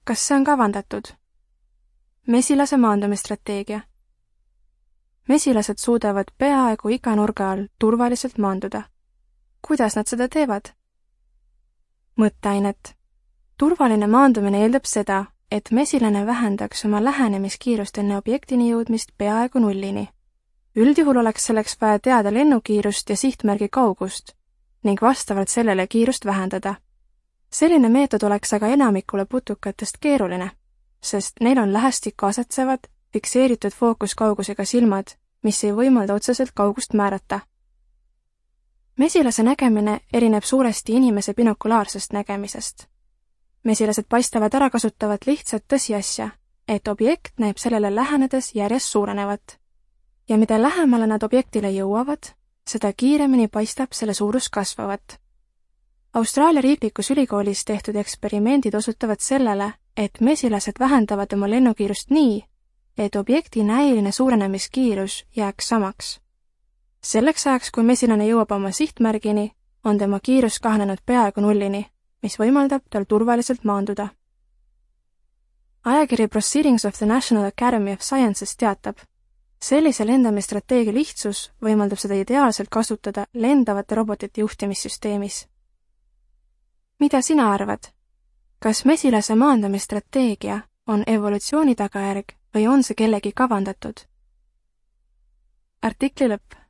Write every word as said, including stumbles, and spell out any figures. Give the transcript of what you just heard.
Kas see on kavandatud? Mesilase maandumisstrateegia. Mesilased suudavad peaaegu iga nurga all turvaliselt maanduda. Kuidas nad seda teevad? Mõtteainet. Turvaline maandumine eeldab seda, et mesilane vähendaks oma lähenemiskiirust enne objektini jõudmist peaaegu nullini. Üldjuhul oleks selleks vaja teada lennukiirust ja sihtmärgi kaugust ning vastavalt sellele kiirust vähendada. Selline meetod oleks aga enamikule putukatest keeruline, sest neil on lähestikku asetsevad, fikseeritud fookuskaugusega silmad, mis ei võimalda otseselt kaugust määrata. Mesilase nägemine erineb suuresti inimese binokulaarsest nägemisest. Mesilased paistavad ära kasutavat lihtsat tõsiasja, et objekt näeb sellele lähenedes järjest suurenevat. Ja mida lähemale nad objektile jõuavad, seda kiiremini paistab selle suurus kasvavat. Austraalia riiklikus ülikoolis tehtud eksperimendid osutavad sellele, et mesilased vähendavad oma lennukiirust nii, et objekti näiline suurenemiskiirus jääks samaks. Selleks ajaks, kui mesilane jõuab oma sihtmärgini, on tema kiirus kahanenud peaaegu nullini, mis võimaldab tal turvaliselt maanduda. Ajakiri Proceedings of the National Academy of Sciences teatab, sellise lendamisstrateegia lihtsus võimaldab seda ideaalselt kasutada lendavate robotite juhtimissüsteemis. Mida sina arvad? Kas mesilase maandamisstrateegia on evolutsiooni tagajärg või on see kellegi kavandatud? Artikli lõpp.